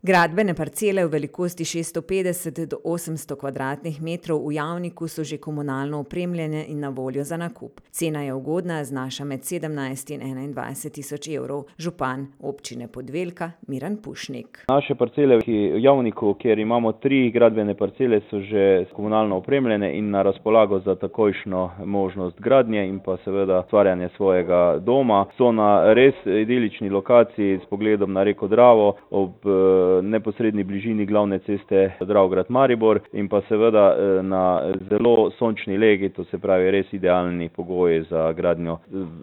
Gradbene parcele v velikosti 650 do 800 kvadratnih metrov v Javniku so že komunalno opremljene in na voljo za nakup. Cena je ugodna, znaša med 17 in 21 tisoč evrov. Župan občine Podvelka Miran Pušnik. Naše parcele v Javniku, kjer imamo 3 gradbene parcele, so že komunalno opremljene in na razpolago za takojšnjo možnost gradnje in pa seveda ustvarjanje svojega doma. So na res idilični lokaciji s pogledom na reko Dravo ob neposredni bližini glavne ceste Dravograd-Maribor in pa seveda na zelo sončni legi, to se pravi res idealni pogoji za gradnjo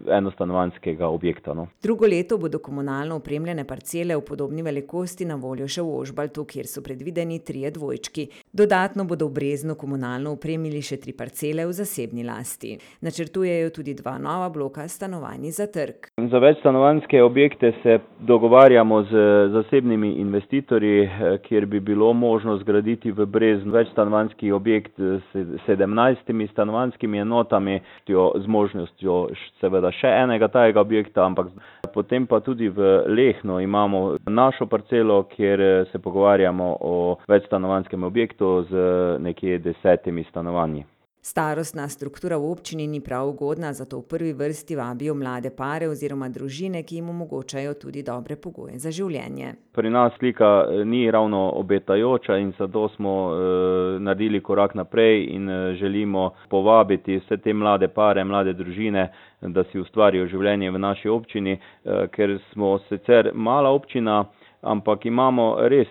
enostanovanjskega objekta. Drugo leto bodo komunalno opremljene parcele v podobni velikosti na voljo še v Ožbaltu, kjer so predvideni 3 dvojčki. Dodatno bodo v Breznu komunalno opremili še 3 parcele v zasebni lasti. Načrtujejo tudi 2 nova bloka stanovanj za trg. Za večstanovanjske objekte se dogovarjamo z zasebnimi investitorji, kjer bi bilo možno zgraditi v Breznu večstanovanjski objekt s 17 stanovanjskimi enotami, z možnostjo seveda še enega tajega objekta, ampak potem pa tudi v Lehnu imamo našo parcelo, kjer se pogovarjamo o večstanovanjskem objektu z nekje 10 stanovanji. Starostna struktura v občini ni prav ugodna, zato v prvi vrsti vabijo mlade pare oziroma družine, ki jim omogočajo tudi dobre pogoje za življenje. Pri nas slika ni ravno obetajoča in zato smo naredili korak naprej in želimo povabiti vse te mlade pare, mlade družine, da si ustvarijo življenje v naši občini, ker smo sicer mala občina, ampak imamo res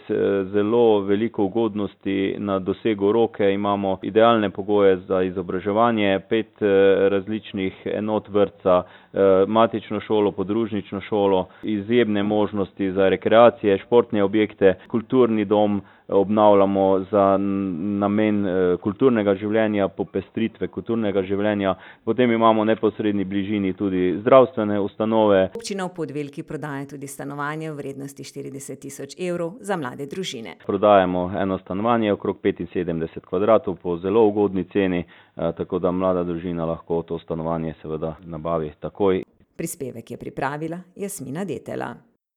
zelo veliko ugodnosti na dosegu roke, imamo idealne pogoje za izobraževanje, 5 različnih enot vrtca, matično šolo, podružnično šolo, izjemne možnosti za rekreacije, športne objekte, kulturni dom obnavljamo za namen kulturnega življenja, popestritve kulturnega življenja, potem imamo v neposredni bližini tudi zdravstvene ustanove. Občina v Podvelki prodaja tudi stanovanje v vrednosti 40 tisoč evrov za mlade družine. Prodajamo eno stanovanje okrog 75 kvadratov po zelo ugodni ceni, tako da mlada družina lahko to stanovanje seveda nabavi takoj. Prispevek je pripravila Jasmina Detela.